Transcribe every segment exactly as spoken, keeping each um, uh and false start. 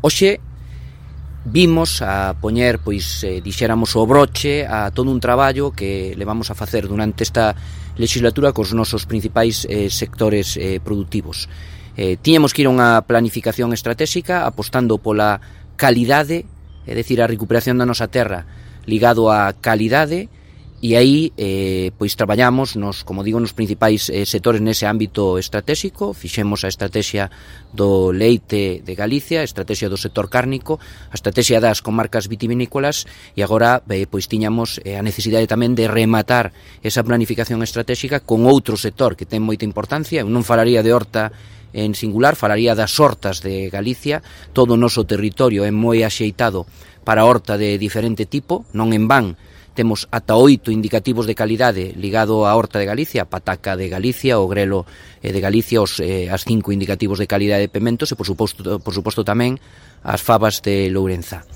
Hoxe vimos a poñer, pois, eh, dixéramos o broche a todo un traballo que levamos a facer durante esta legislatura cos nosos principais eh, sectores eh, productivos. Eh, tiñamos que ir a unha planificación estratégica apostando pola calidade, é dicir, a recuperación da nosa terra ligado á calidade, e aí eh, pois traballamos nos, como digo, nos principais eh, sectores nese ámbito estratégico. Fixemos a estrategia do leite de Galicia, a estrategia do sector cárnico, a estrategia das comarcas vitivinícolas, e agora eh, pois tiñamos eh, a necesidade tamén de rematar esa planificación estratégica con outro sector que ten moita importancia. Eu non falaría de horta en singular, falaría das hortas de Galicia. Todo o noso territorio é moi axeitado para horta de diferente tipo, non en van temos ata oito indicativos de calidade ligado á horta de Galicia, a pataca de Galicia, o grelo de Galicia, os eh, as cinco indicativos de calidade de pementos e, por suposto, por suposto tamén, as fabas de Lourenza.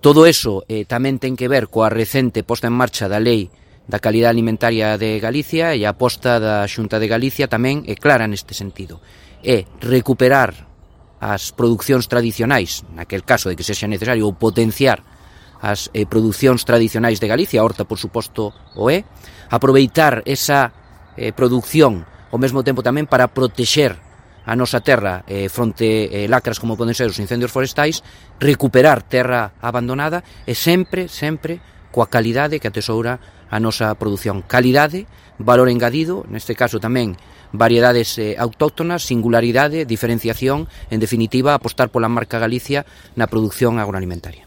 Todo eso eh, tamén ten que ver coa recente posta en marcha da Lei da Calidade Alimentaria de Galicia, e a aposta da Xunta de Galicia tamén é clara neste sentido. É recuperar as producións tradicionais, naquel caso de que sexa necesario, ou potenciar as eh, producións tradicionais de Galicia, a horta, por suposto, o é, aproveitar esa eh, produción ao mesmo tempo tamén para protexer a nosa terra eh, fronte eh, lacras como poden ser os incendios forestais, recuperar terra abandonada e sempre, sempre coa calidade que atesoura a nosa produción. Calidade, valor engadido, neste caso tamén variedades eh, autóctonas, singularidade, diferenciación, en definitiva, apostar pola marca Galicia na produción agroalimentaria.